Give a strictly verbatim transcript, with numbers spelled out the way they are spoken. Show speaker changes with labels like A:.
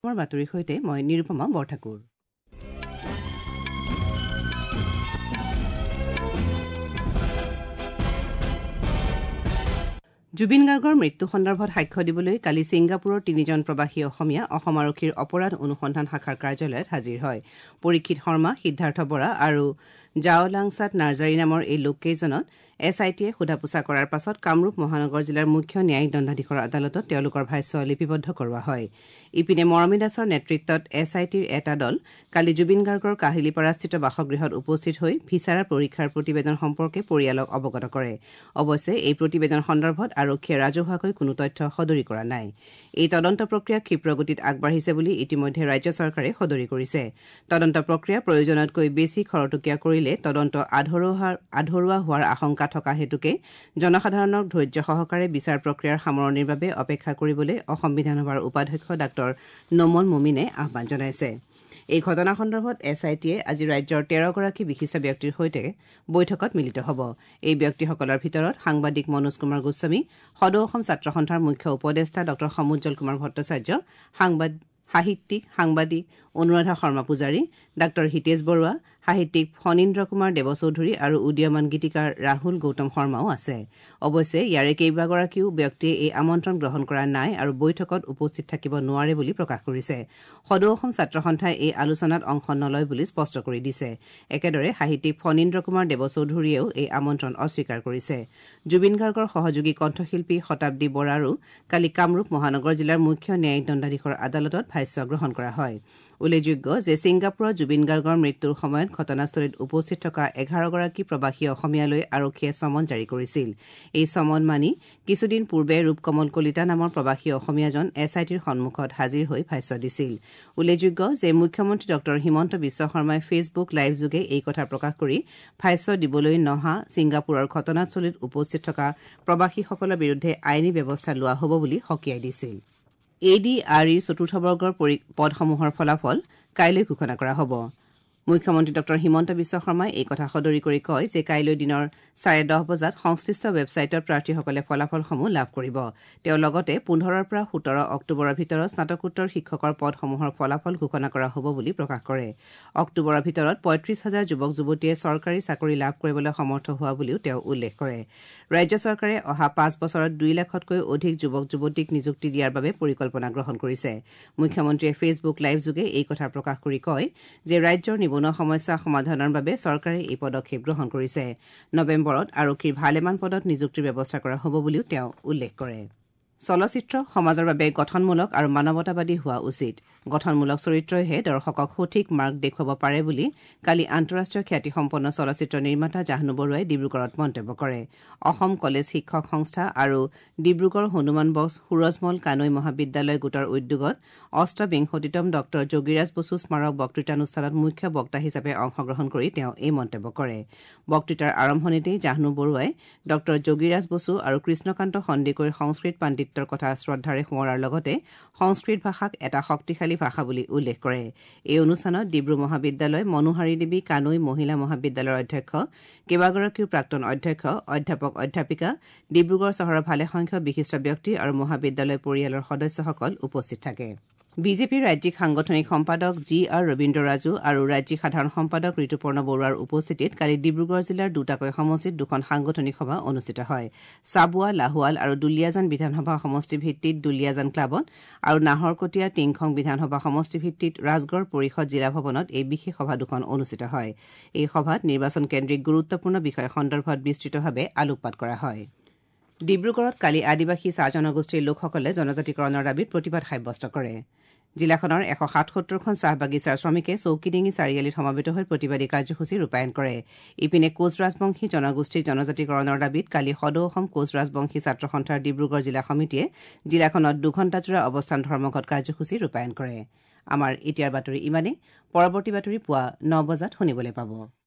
A: বাতৰিৰ সৈতে মই নিৰুপমা বৰঠাকুৰ। জুবিন গাৰ্গৰ মৃত্যু সন্দৰ্ভত সাক্ষ্য দিবলৈ কালি ছিংগাপুৰৰ তিনিজন প্ৰৱাসী অসমীয়া অসম আৰক্ষীৰ অপৰাধ অনুসন্ধান শাখাৰ কাৰ্যালয়ত হাজিৰ হয়। পৰীক্ষিত শৰ্মা, সিদ্ধাৰ্থ বৰা আৰু জাওলাংছাত নাৰ্জাৰী নামৰ এই লোককেইজনক এছ I টিয়ে সোধা-পোছা কৰাৰ পাছত কামৰূপ মহানগৰ জিলাৰ মুখ্য ন্যায়িক দণ্ডাধীশৰ আদালতত তেওঁলোকৰ ভাষ্য লিপিবদ্ধ কৰোৱা হয়। ইপিনে মৰমী দাসৰ নেতৃত্বত এছ I টিৰ এটা দল কালি জুবিন গাৰ্গৰ কাহিলীপাৰাস্থিত বাসগৃহত উপস্থিত হৈ ভিছাৰা পৰীক্ষাৰ প্ৰতিবেদন সম্পৰ্কে পৰিয়ালক অৱগত কৰে। অৱশ্যে এই প্ৰতিবেদন সন্দৰ্ভত আৰক্ষীয়ে ৰাজহুৱাকৈ কোনো তথ্য সদৰি কৰা নাই। এই তদন্ত প্ৰক্ৰিয়া ক্ষীপ্ৰ গতিত আগবাঢ়িছে বুলি ইতিমধ্যে ৰাজ্য চৰকাৰে সদৰি কৰিছে। তদন্ত প্ৰক্ৰিয়া প্ৰয়োজনতকৈ বেছি খৰতকীয়া কৰিলে তদন্ত আধৰুৱা হোৱাৰ আশংকা থকা হেতুকে জনসাধাৰণক ধৈৰ্য সহকাৰে বিচাৰ প্ৰক্ৰিয়াৰ সামৰণিৰ বাবে অপেক্ষা কৰিবলৈ অসম বিধানসভাৰ উপাধ্যক্ষ ডাঃ নোমল মোমিনে আহ্বান জনাইছে। এই ঘটনা সন্দৰ্ভত এছ I টিয়ে আজি ৰাজ্যৰ তেৰগৰাকী বিশিষ্ট ব্যক্তিৰ সৈতে বৈঠকত মিলিত হ'ব। এই ব্যক্তিসকলৰ ভিতৰত সাংবাদিক মনোজ কুমাৰ গোস্বামী, সদৌ অসম ছাত্ৰ সন্থাৰ মুখ্য উপদেষ্টা ডাঃ সমুজ্জ্বল কুমাৰ ভট্টাচাৰ্য, সাহিত্যিক সাংবাদিক অনুৰাধা শৰ্মা পূজাৰী, ডাঃ হিতেশ বৰুৱা, সাহিত্যিক ফণীন্দ্ৰ কুমাৰ দেৱচৌধুৰী আৰু উদীয়মান গীতিকাৰ ৰাহুল গৌতম শৰ্মাও আছে। অৱশ্যে ইয়াৰে কেইবাগৰাকীও ব্যক্তিয়ে এই আমন্ত্ৰণ গ্ৰহণ কৰা নাই আৰু বৈঠকত উপস্থিত থাকিব নোৱাৰে বুলি প্ৰকাশ কৰিছে। সদৌ অসম ছাত্ৰ সন্থাই এই আলোচনাত অংশ নলয় বুলি স্পষ্ট কৰি দিছে। একেদৰে সাহিত্যিক ফণীন্দ্ৰ কুমাৰ দেৱচৌধুৰীয়েও এই আমন্ত্ৰণ অস্বীকাৰ কৰিছে। জুবিন গাৰ্গৰ সহযোগী কণ্ঠশিল্পী শতাব্দী বৰাৰো কালি কামৰূপ মহানগৰ জিলাৰ মুখ্য ন্যায়িক দণ্ডাধীশৰ আদালতত ভাষ্য গ্ৰহণ কৰা হয়। উল্লেখযোগ্য যে ছিংগাপুৰত জুবিন গাৰ্গৰ মৃত্যুৰ সময়ত ঘটনাস্থলীত উপস্থিত থকা এঘাৰগৰাকী প্ৰৱাসী অসমীয়ালৈ আৰক্ষীয়ে চমন জাৰি কৰিছিল। এই চমন মানি কিছুদিন পূৰ্বে ৰূপকমল কলিতা নামৰ প্ৰৱাসী অসমীয়াজন এছ I টিৰ সন্মুখত হাজিৰ হৈ ভাষ্য দিছিল। উল্লেখযোগ্য যে মুখ্যমন্ত্ৰী ডাঃ হিমন্ত বিশ্ব শৰ্মাই ফেচবুক লাইভযোগে এই কথা প্ৰকাশ কৰি ভাষ্য দিবলৈ নহা ছিংগাপুৰৰ ঘটনাস্থলীত উপস্থিত থকা প্ৰৱাসীসকলৰ বিৰুদ্ধে আইনী ব্যৱস্থা লোৱা হ'ব বুলি সকীয়াই দিছিল। এ ডি আৰ ইৰ চতুৰ্থ বৰ্গৰ পদসমূহৰ ফলাফল কাইলৈ ঘোষণা কৰা হ'ব। মুখ্যমন্ত্ৰী ডাঃ হিমন্ত বিশ্ব শৰ্মাই এই কথা সদৰি কৰি কয় যে কাইলৈ দিনৰ চাৰে দহ বজাত সংশ্লিষ্ট ৱেবছাইটত প্ৰাৰ্থীসকলে ফলাফলসমূহ লাভ কৰিব। তেওঁ লগতে পোন্ধৰৰ পৰা সোতৰ অক্টোবৰৰ ভিতৰত স্নাতকোত্তৰ শিক্ষকৰ পদসমূহৰ ফলাফল ঘোষণা কৰা হ'ব বুলি প্ৰকাশ কৰে। অক্টোবৰৰ ভিতৰত পঁয়ত্ৰিশ হাজাৰ যুৱক যুৱতীয়ে চৰকাৰী চাকৰি লাভ কৰিবলৈ সমৰ্থ হোৱা বুলিও তেওঁ উল্লেখ কৰে। ৰাজ্য চৰকাৰে অহা পাঁচ বছৰত দুই লাখতকৈ অধিক যুৱক যুৱতীক নিযুক্তি দিয়াৰ বাবে পৰিকল্পনা গ্ৰহণ কৰিছে। মুখ্যমন্ত্ৰীয়ে ফেচবুক লাইভযোগে এই কথা প্ৰকাশ কৰি কয় যে ৰাজ্যৰ নিবনুৱা সমস্যা সমাধানৰ বাবে চৰকাৰে এই পদক্ষেপ গ্ৰহণ কৰিছে। নৱেম্বৰত আৰক্ষীৰ ভালেমান পদত নিযুক্তিৰ ব্যৱস্থা কৰা হ'ব বুলিও তেওঁ উল্লেখ কৰে। চলচ্চিত্ৰ সমাজৰ বাবে গঠনমূলক আৰু মানৱতাবাদী হোৱা উচিত। গঠনমূলক চৰিত্ৰইহে দৰ্শকক সঠিক মাৰ্গ দেখুৱাব পাৰে বুলি কালি আন্তঃৰাষ্ট্ৰীয় খ্যাতিসম্পন্ন চলচ্চিত্ৰ নিৰ্মাতা জাহ্নু বৰুৱাই ডিব্ৰুগড়ত মন্তব্য কৰে। অসম কলেজ শিক্ষক সংস্থা আৰু ডিব্ৰুগড় হনুমান বক্স সুৰজমল কানৈ মহাবিদ্যালয় গোটৰ উদ্যোগত অষ্টবিংশতিতম ডঃ যোগীৰাজ বসু স্মাৰক বক্তৃতানুষ্ঠানত মুখ্য বক্তা হিচাপে অংশগ্ৰহণ কৰি তেওঁ এই মন্তব্য কৰে। বক্তৃতাৰ আৰম্ভণিতেই জাহ্নু বৰুৱাই ডঃ যোগীৰাজ বসু আৰু কৃষ্ণকান্ত সন্দিকৈৰ সংস্কৃত পাণ্ডিত্য কথা শ্ৰদ্ধাৰে সোঁৱৰাৰ লগতে সংস্কৃত ভাষাক এটা শক্তিশালী ভাষা বুলি উল্লেখ কৰে। এই অনুষ্ঠানত ডিব্ৰু মহাবিদ্যালয়, মনোহাৰী দেৱী কানৈ মহিলা মহাবিদ্যালয়ৰ অধ্যক্ষ, কেইবাগৰাকীও প্ৰাক্তন অধ্যক্ষ, অধ্যাপক অধ্যাপিকা, ডিব্ৰুগড় চহৰৰ ভালেসংখ্যক বিশিষ্ট ব্যক্তি আৰু মহাবিদ্যালয় পৰিয়ালৰ সদস্যসকল উপস্থিত থাকে। বিজেপিৰ ৰাজ্যিক সাংগঠনিক সম্পাদক জি আৰ ৰবীন্দ্ৰ ৰাজু আৰু ৰাজ্যিক সাধাৰণ সম্পাদক ঋতুপৰ্ণ বৰুৱাৰ উপস্থিতিত কালি ডিব্ৰুগড় জিলাৰ দুটাকৈ সমষ্টিত দুখন সাংগঠনিক সভা অনুষ্ঠিত হয়। চাবুৱা, লাহোৱাল আৰু দুলীয়াজান বিধানসভা সমষ্টি ভিত্তিত দুলীয়াজান ক্লাবত আৰু নাহৰকটীয়া টিংখং বিধানসভা সমষ্টি ভিত্তিত ৰাজগড় পৰিষদ জিলা ভৱনত এই বিশেষ সভা দুখন অনুষ্ঠিত হয়। এই সভাত নিৰ্বাচন কেন্দ্ৰিক গুৰুত্বপূৰ্ণ বিষয় সন্দৰ্ভত বিস্তৃতভাৱে আলোকপাত কৰা হয়। ডিব্ৰুগড়ত কালি আদিবাসী চাহ জনগোষ্ঠীৰ লোকসকলে জনজাতিকৰণৰ দাবীত প্ৰতিবাদ সাব্যস্ত কৰে। জিলাখনৰ এশ সাতসত্তৰখন চাহ বাগিচাৰ শ্ৰমিকে চৌকিডিঙি চাৰিআলিত সমবেত হৈ প্ৰতিবাদী কাৰ্যসূচী ৰূপায়ণ কৰে। ইপিনে কোচ ৰাজবংশী জনগোষ্ঠীৰ জনজাতিকৰণৰ দাবীত কালি সদৌ অসম কোচ ৰাজবংশী ছাত্ৰ সন্থাৰ ডিব্ৰুগড় জিলা সমিতিয়ে জিলাখনত দুঘণ্টাজোৰা অৱস্থান ধৰ্মঘট কাৰ্যসূচী ৰূপায়ণ কৰে। আমাৰ এতিয়াৰ বাতৰি ইমানেই। পৰৱৰ্তী বাতৰি পুৱা ন বজাত শুনিবলৈ পাব।